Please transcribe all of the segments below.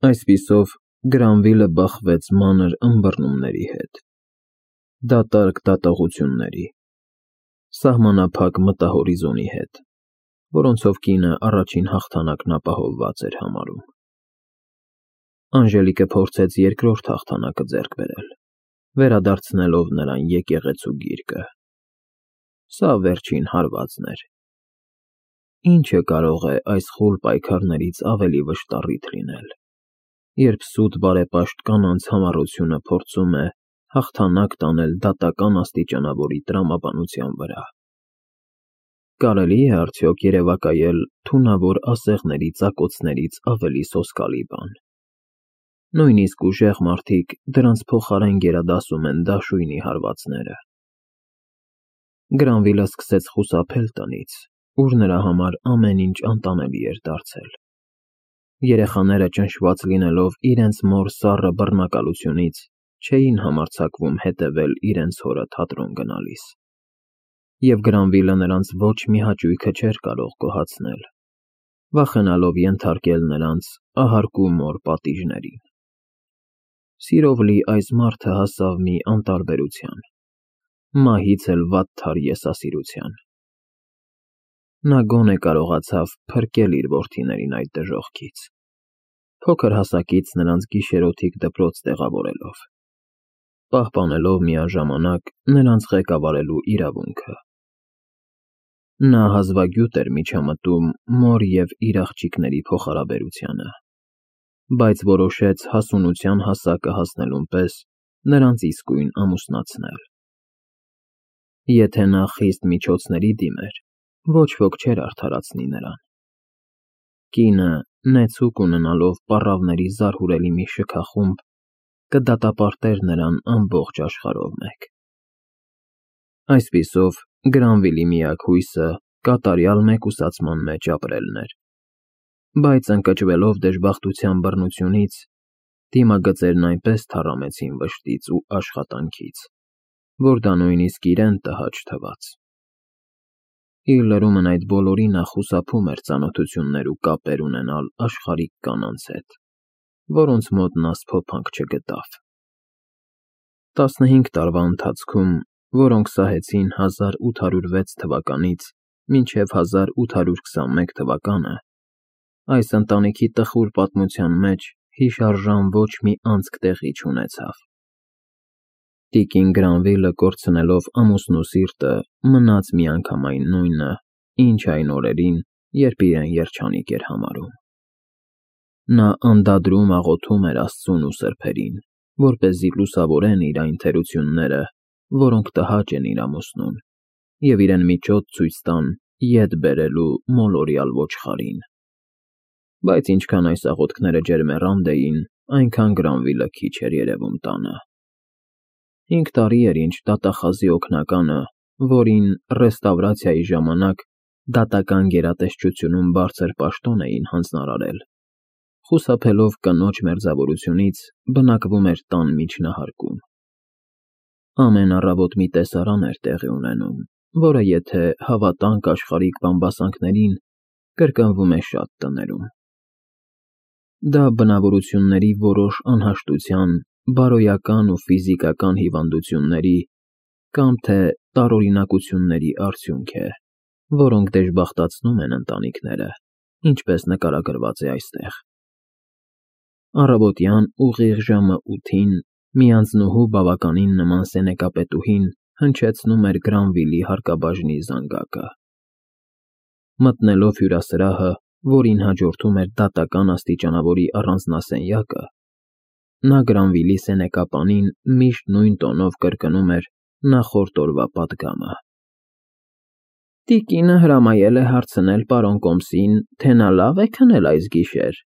Այսպիսով Գրանվիլը բախվեց մանր ըմբռնումների հետ, դատարկ դատողությունների, սահմանափակ մտահորիզոնի հետ, որոնցով կինը առաջին հաղթանակն ապահովված էր համարում։ Անժելիկը փորձեց երկրորդ հաղթանակը ձեռք բերել, վերադարձնելով նրան եկեղեցու գիրկը։ Սա վերջին հարվածն էր։ Ինչը կարող է այս խուլ պայքարներից ավելի վշտառիթ լինել, երբ սուտ բարեպաշտ կանանց համառությունը փորձում է հաղթանակ տանել դատական աստիճանավորի տրամաբանության վրա։ Կարելի է արդյոք երևակայել թունավոր ասեղների ծակոցներից ավելի սոսկալի բան։ Նույնիսկ ուժեղ մարդիկ դրանց փոխարեն գերադասում են դաշույնի հարվածները։ Գրանվիլը սկսեց խուսափել տնից, ուր նրա համար ամեն ինչ անտանելի էր դարձել։ Երեխաները ճնշված լինելով իրենց մոր սառը բռնակալությունից, չէին համարձակվում հետևել իրենց հորը թատրոն գնալիս։ Եվ Գրանվիլը նրանց ոչ մի հաճույքը չէր կարող գոհացնել, վախենալով ենթարկել նրանց ահարկու մոր պատիժներին։ Սիրով լի այս մարդը հասավ մի անտարբերության, մահից էլ վատթար եսասիրության։ Նա գոնե կարողացավ փրկել իր որդիներին այդ դժոխքից, փոքր հասակից նրանց գիշերօթիկ դպրոց տեղավորելով, պահպանելով միաժամանակ նրանց ղեկավարելու իրավունքը։ Նա հազվագյուտ էր միջամտում մոր և իր աղջիկների փոխհարաբերությանը, բայց որոշեց հասունության հասակը հասնելուն պես նրանց իսկույն ամուսնացնել։ Եթե նա խիստ միջոցների դիմեր, ոչ ոք չէր արդարացնի նրան։ Կինը, նեցուկ ունենալով պառավների զարհուրելի մի շքախումբ, կդատապարտեր նրան ամբողջ աշխարհով մեկ։ Այսպիսով Գրանվիլի միակ հույսը կատարյալ մեկուսացման մեջ ապրելն էր, բայց ընկճվելով դժբախտության բռնությունից, դիմագծերն այնպես թառամեցին վշտից ու աշխատանքից, որ դա նույնիսկ իրեն տհաճ թվաց։ Իր լրումն այդ բոլորի նա խուսափում էր ծանոթություններ ու կապեր ունենալ աշխարհիկ կանանց հետ, որոնց մոտ նա սփոփանք չգտավ։ 15 տարվա ընթացքում, որոնք սահեցին 1806 թվականից մինչև 1821 թվականը, այս ընտանիքի տխուր պատմության մեջ հիշարժան ոչ մի անցք տեղի չունեցավ։ Տիկին Գրանվիլը կորցնելով ամուսնու սիրտը, մնաց միանգամայն նույնը, ինչ այն օրերին, երբ իրեն երջանիկ էր համարում։ Նա անդադրում աղոթում էր Աստծուն ու սրբերին, որպեսզի լուսավորեն իր այն թերությունները, որոնք տհաճ են իր ամուսնուն, և իրեն միջոց ցույց տան ետ բերելու մոլորյալ ոչխարին։ Բայց ինչքան այս աղոթքները ջերմեռանդ էին, այնքան Գրանվիլը քիչ էր երևում տանը։ 5 տարի էր, ինչ դատախազի օգնականը, որին ռեստավրացիայի ժամանակ դատական գերատեսչությունում բարձր պաշտոն էին հանձնարարել, խուսափելով կնոջ մերձավորությունից, բնակվում էր տան միջնահարկում։ Ամեն առավոտ մի տեսարան էր տեղի ունենում, որը եթե հավատանք աշխարհիկ բամբասանքներին, կրկնվում է շատ տներում։ Դա բնավորությունների որոշ անհաշտության, բարոյական ու ֆիզիկական հիվանդությունների կամ թե տարօրինակությունների արդյունք է, որոնք դժբախտացնում են ընտանիքները, ինչպես նկարագրված է այստեղ։ Առավոտյան ուղիղ ժամը 8-ին մի անձնուհու բավականին նման սենեկապետուհին հնչեցնում էր Գրանվիլի հարկաբաժնի զանգակը։ Մտնելով հյուրասրահը, որին հաջորդում էր դատական աստիճանավորի առանձնասենյակը, նա Գրանվիլի սենեկապանին միշտ նույն տոնով կրկնում էր նախորդ օրվա պատգամը։ Տիկինը հրամայել է հարցնել պարոն կոմսին, թե նա լավ է քնել այս գիշեր,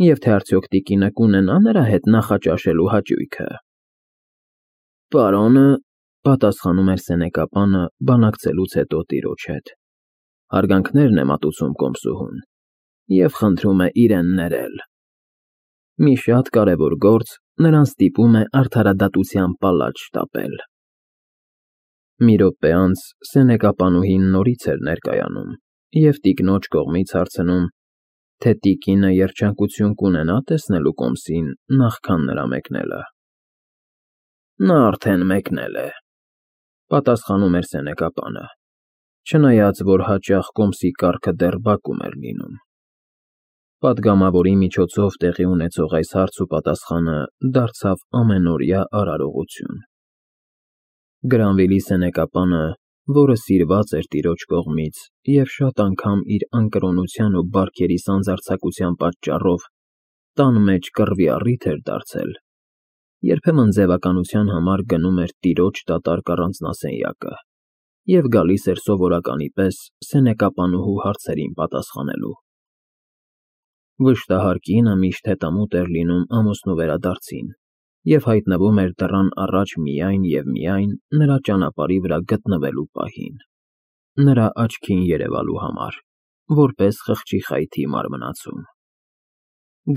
և թե արդյոք տիկինը կունենա նրա հետ նախաճաշելու հաճույքը։ Պարոնը, պատասխանում էր սենեկապանը բանակցելուց հետո տիրոջ հետ, հարգանքներն է մատուցում կոմսուհուն և խնդրում է իրեն ներել։ Մի շատ կարևոր գործ նրան ստիպում է արդարադատության պալատ շտապել։ Մի րոպե անց սենեկապանուհին նորից էր ներկայանում և տիկնոջ կողմից հարցնում, թե տիկինը երջանկություն կունենա տեսնելու Կոմսին նախքան նրա մեկնելը։ Նա արդեն մեկնել է, պատասխանում էր սենեկապանը, չնայած որ հաճախ Կոմսի կառքը դեռ բակում էր լինում։ Պատգամավորի միջոցով տեղի ունեցող այս հարց ու պատասխանը դարձավ ամենօրյա արարողություն։ Գրանվիլի սենեկապանը, որը սիրված էր տիրոջ կողմից և շատ անգամ իր անկրոնության ու բարքերի սանձարձակության պատճառով տան մեջ կռվի առիթ էր դարձել, երբեմն ձևականության համար գնում էր տիրոջ դատարկ առանձնասենյակը և գալիս էր սովորականի պես սենեկապանուհու հարցերին պատասխանելու։ Վշտահար կինը միշտ հետամուտ էր լինում ամուսնու վերադարձին և հայտնվում էր դռան առաջ միայն և միայն նրա ճանապարհի վրա գտնվելու պահին, նրա աչքին երևալու համար, որպես խղճի խայթի մարմնացում։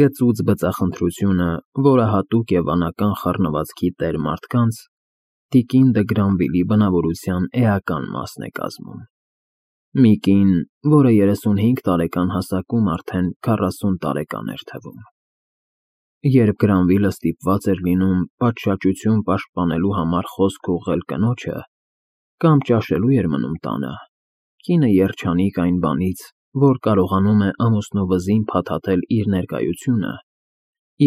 Գծուծ բծախնդրությունը, որը հատուկ է վանական խառնվածքի տեր մարդկանց, տիկին դը Գրանվիլի բնավորության էական մասն է կազմում։ Մի կին, որը 35 տարեկան հասակում արդեն 40 տարեկան էր թվում։ Երբ Գրանվիլը ստիպված էր լինում պատշաճություն պաշտպանելու համար խոսք ուղղել կնոջը, կամ ճաշելու էր մնում տանը, կինը երջանիկ այն բանից, որ կարողանում է ամուսնու վզին փաթաթել իր ներկայությունը,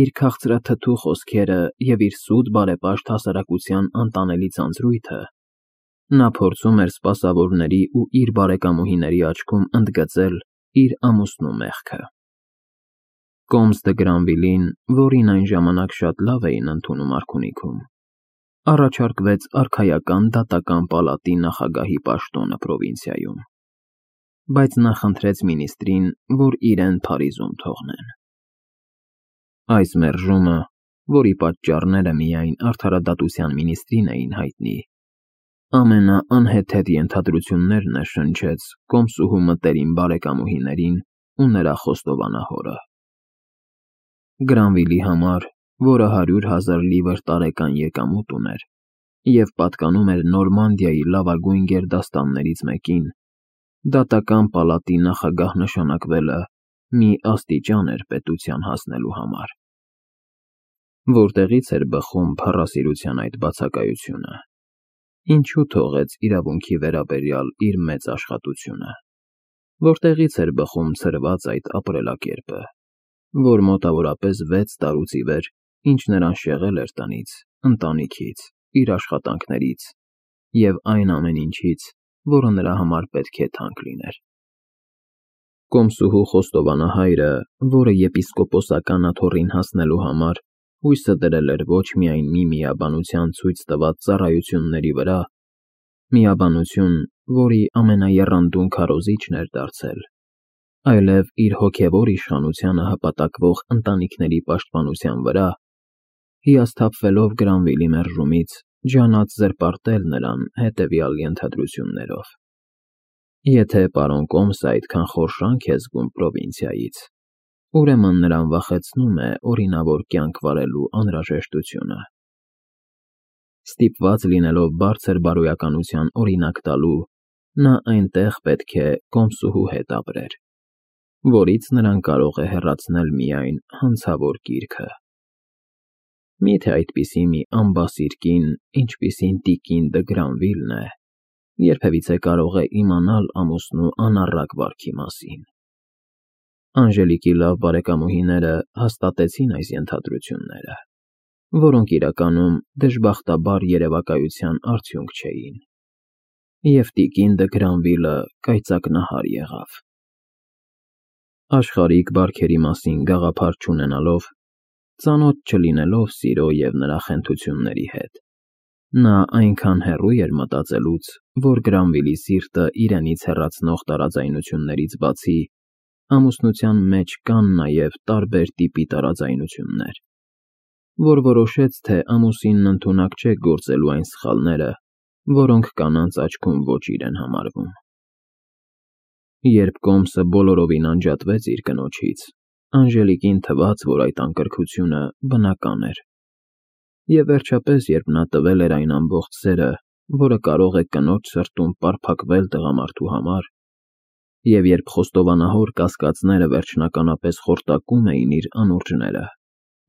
իր քաղցրաթթու խոսքերը և իր սուտ բարեպաշտ հասարակության անտանելի ձանձրույթը, նա փորձում էր սպասավորների ու իր բարեկամուհիների աչքում ընդգծել իր ամուսնու մեղքը։ Կոմս դը Գրանվիլին, որին այն ժամանակ շատ լավ էին ընդունում արքունիքում, առաջարկվեց արքայական դատական պալատի նախագահի պաշտոնը պրովինցիայում, բայց նա խնդրեց մինիստրին, որ իրեն Փարիզում թողնեն։ Այս մերժումը, որի պատճառները միայն արդարադատության մինիստրին էին հայտնի, ամենաանհեթեթ ենթադրություններն շնչեց Կոմսուհու մտերիմ բարեկամուհիներին ու նրա խոստովանահորը։ Գրանվիլի համար, որը 100,000 լիվր տարեկան եկամուտ ուներ և պատկանում էր Նորմանդիայի լավագույն գերդաստաններից մեկին, դատական պալատի նախագահ նշանակվելը մի աստիճան էր պետության հասնելու համար։ Որտեղի՞ց էր բխում փառասիրության այդ բացակայությունը, ինչու թողեց իրավունքի վերաբերյալ իր մեծ աշխատությունը, որտեղի՞ց էր բխում ցրված այդ ապրելակերպը, որ մոտավորապես 6 տարուց ի վեր, ինչ նրան շեղել էր տնից, ընտանիքից, իր աշխատանքներից և այն ամեն ինչից, որը նրա համար պետք է թանկ լիներ։ Կոմսուհու խոստովանահայրը, որը եպիսկոպոսական աթոռին հասնելու համար հույսը դրել էր ոչ միայն մի միաբանության ցույց տված ծառայությունների վրա, միաբանություն, որի ամենաեռանդուն քարոզիչն էր դարձել, այլև իր հոգևոր իշխանությանը հպատակվող ընտանիքների պաշտպանության վրա, հիասթափվելով Գրանվիլի մերժումից, ջանաց զրպարտել նրան հետևյալ ենթադրություններով. Եթե պարոն Կոմսը այդքան խորշանկ է զգում պրովինցիայից, ուրեմն նրան վախեցնում է օրինավոր կյանք վարելու անհրաժեշտությունը։ Ստիպված լինելով բարձր բարոյականության օրինակ տալու, նա այնտեղ պետք է Կոմսուհու հետ ապրեր, որից նրան կարող է հեռացնել միայն հանցավոր կիրքը։ Միթե այդպիսի մի անբասիր կին, ինչպիսին տիկին դը Գրանվիլն է, երբևիցե կարող է իմանալ ամուսնու անառակ վարքի մասին։ Անժելիկի լավ բարեկամուհիները հաստատեցին այս ենթադրությունները, որոնք իրականում դժբախտաբար երևակայության արդյունք չէին, և տիկին դը Գրանվիլը կայծակնահար եղավ։ Աշխարհիկ բարքերի մասին գաղափար չունենալով, ծանոթ չլինելով սիրո և նրա խենթությունների հետ, նա այնքան հեռու էր մտածելուց, որ Գրանվիլի սիրտը իրենից հեռացնող տարաձայնություններից բացի, ամուսնության մեջ կան նաև տարբեր տիպի տարաձայնություններ, որ որոշեց, թե ամուսինն ընդունակ չէ գործելու այն սխալները, որոնք կանանց աչքում ոճիր են համարվում։ Երբ Կոմսը բոլորովին անջատվեց իր կնոջից, Անժելիկին թվաց, որ այդ անկրքությունը բնական էր, և վերջապես, երբ նա տվել էր այն ամբողջ սերը, որը կարող է կնոջ սրտում պարփակվել տղամարդու համար, Եվ երբ խոստովանահոր կասկածները վերջնականապես խորտակում էին իր անուրջները,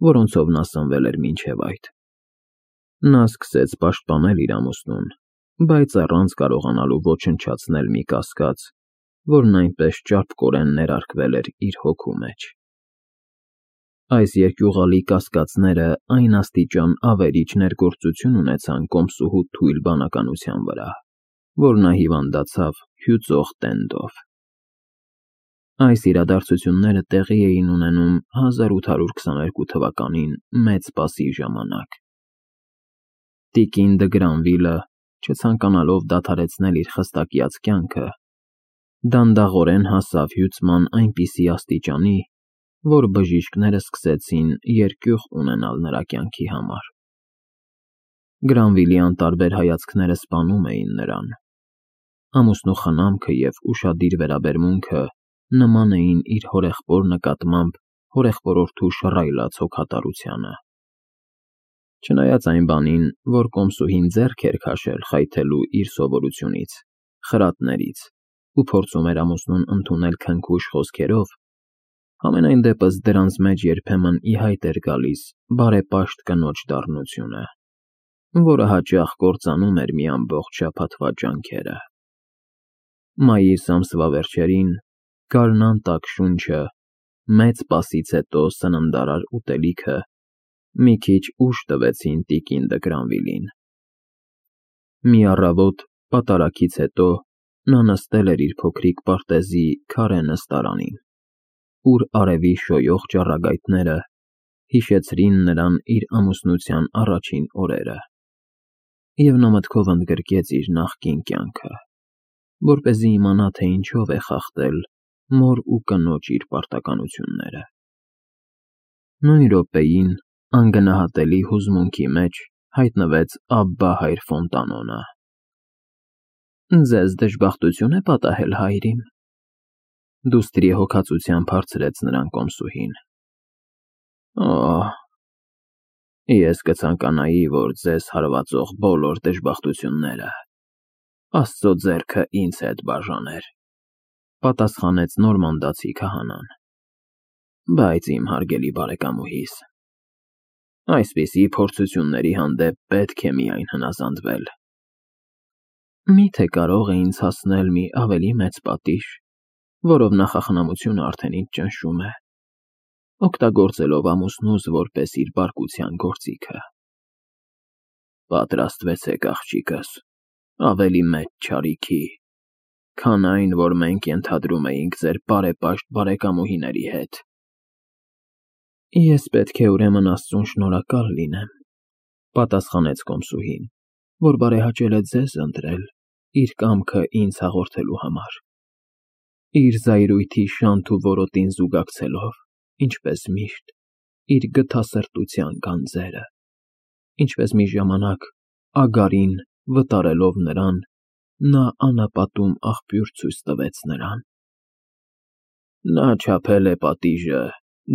որոնցով նա սնվել էր մինչև այդ, նա սկսեց պաշտպանել իր ամուսնուն, բայց առանց կարողանալու ոչնչացնել մի կասկած, որն այնպես ճարպկորեն ներարկվել էր իր հոգու մեջ։ Այս երկյուղալի կասկածները այն աստիճան ավերիչ ներգործություն ունեցան կոմսուհու թույլ բանականության վրա, որ նա հիվանդացավ հյուծող տենդով։ Այս իրադարձությունները տեղի էին ունենում 1822 թվականին Մեծ Սպասի ժամանակ։ Տիկին դը Գրանվիլը, չցանկանալով դադարեցնել իր խստակյաց կյանքը, դանդաղորեն հասավ հյուծման այնպիսի աստիճանի, որ բժիշկները սկսեցին երկյուղ ունենալ նրա կյանքի համար։ Գրանվիլի անտարբեր հայացքները սպանում էին նրան։ Ամուսնու խնամքը և ուշադիր վերաբերմունքը նման էին իր հորեղբոր նկատմամբ հորեղբորորդու շռայլած հոգատարությանը։ Չնայած այն բանին, որ կոմսուհին ձեռք էր քաշել խայթելու իր սովորությունից, խրատներից ու փորձում էր ամուսնուն ընդունել քնքուշ խոսքերով, համենայն դեպս դրանց մեջ երբեմն ի հայտ էր գալիս բարեպաշտ կնոջ դառնությունը, որը հաճախ կործանում էր մի ամբողջ շաբաթվա ջանքերը։ Մայիս ամսվա վերջերին գարնան տաք շունչը, Մեծ Սպասից հետո սննդարար ուտելիքը մի քիչ ուժ տվեցին տիկին դը Գրանվիլին։ Մի առավոտ պատարագից հետո նա նստել էր իր փոքրիկ պարտեզի քարե նստարանին, ուր արևի շոյող ճառագայթները հիշեցրին նրան իր ամուսնության առաջին օրերը, և նա մտքով ընդգրկեց իր նախկին կյանքը, որպեսզի իմանա, թե ինչով է խախտել մոր ու կնոջ իր պարտականությունները։ Նույն րոպեին անգնահատելի հուզմունքի մեջ հայտնվեց Աբբա հայր Ֆոնտանոնը։ «Ձեզ դժբախտություն է պատահել, հայրիմ», դուստրի հոգածությամբ հարցրեց նրան կոմսուհին։ «Օ, ես կցանկանայի, որ ձեզ հարվածող բոլոր դժբախտությունները Աստծո ձեռքը ինձ հետ բաժաներ», պատասխանեց նորմանդացի քահանան։ «Բայց իմ հարգելի բարեկամուհիս, այսպիսի փորձությունների հանդեպ պետք է միայն հնազանդվել։ Միթե կարող է ինձ հասնել մի ավելի մեծ պատիժ, որով նախախնամությունը արդեն ինձ ճնշում է, օգտագործելով ամուսնուս որպես իր բարկության գործիքը։ Պատրաստվեցեք, աղջիկս, ավելի մեծ չարիքի, քան այն, որ մենք ենթադրում էինք ձեր բարեպաշտ բարեկամուհիների հետ»։ «Ես պետք է ուրեմն Աստծուն շնորհակալ լինեմ», պատասխանեց կոմսուհին, «որ բարեհաճել է ձեզ ընտրել իր կամքը ինձ հաղորդելու համար, իր զայրույթի շանթ ու որոտին զուգակցելով, ինչպես միշտ, իր գթասրտության գանձերը, ինչպես մի ժամանակ Ագարին վտարելով նրան, նա անապատում աղբյուր ցույց տվեց նրան։ Նա չափել է պատիժը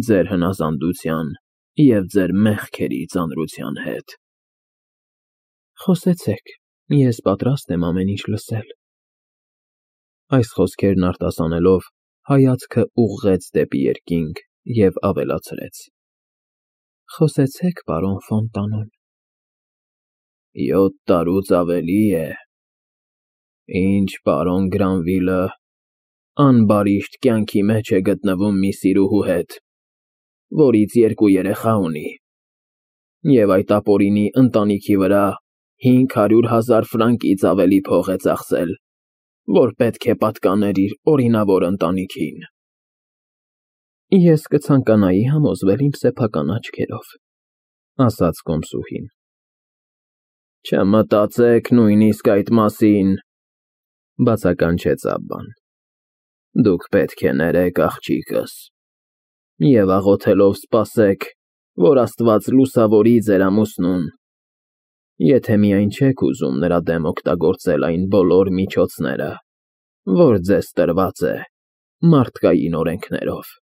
ձեր հնազանդության և ձեր մեղքերի ծանրության հետ»։ «Խոսեցեք, ես պատրաստ եմ ամեն ինչ լսել»։ Այս խոսքերն արտասանելով, հայացքը ուղղեց դեպի երկինք և ավելացրեց. «Խոսեցեք, պարոն Ֆոնտանոն»։ 7 տարուց ավելի է, ինչ պարոն Գրանվիլը անբարիշտ կյանքի մեջ է գտնվում մի սիրուհու հետ, որից 2 երեխա ունի, և այդ ապօրինի ընտանիքի վրա 500,000 ֆրանկից ավելի փող է ծախսել, որ պետք է պատկաներ իր օրինավոր ընտանիքին։ «Ես կցանկանայի համոզվել իմ սեփական աչքերով», ասաց կոմսուհին։ «Չմտածեք նույնիսկ այդ մասին», բացականչեց Աբբան։ «Դուք պետք է ներեք աղջիկս և աղոթելով սպասեք, որ Աստված լուսավորի ձեր ամուսնուն, եթե միայն չեք ուզում նրա դեմ օգտագործել այն բոլոր միջոցները, որ ձեզ տրված է մարդկային օրենքներով»։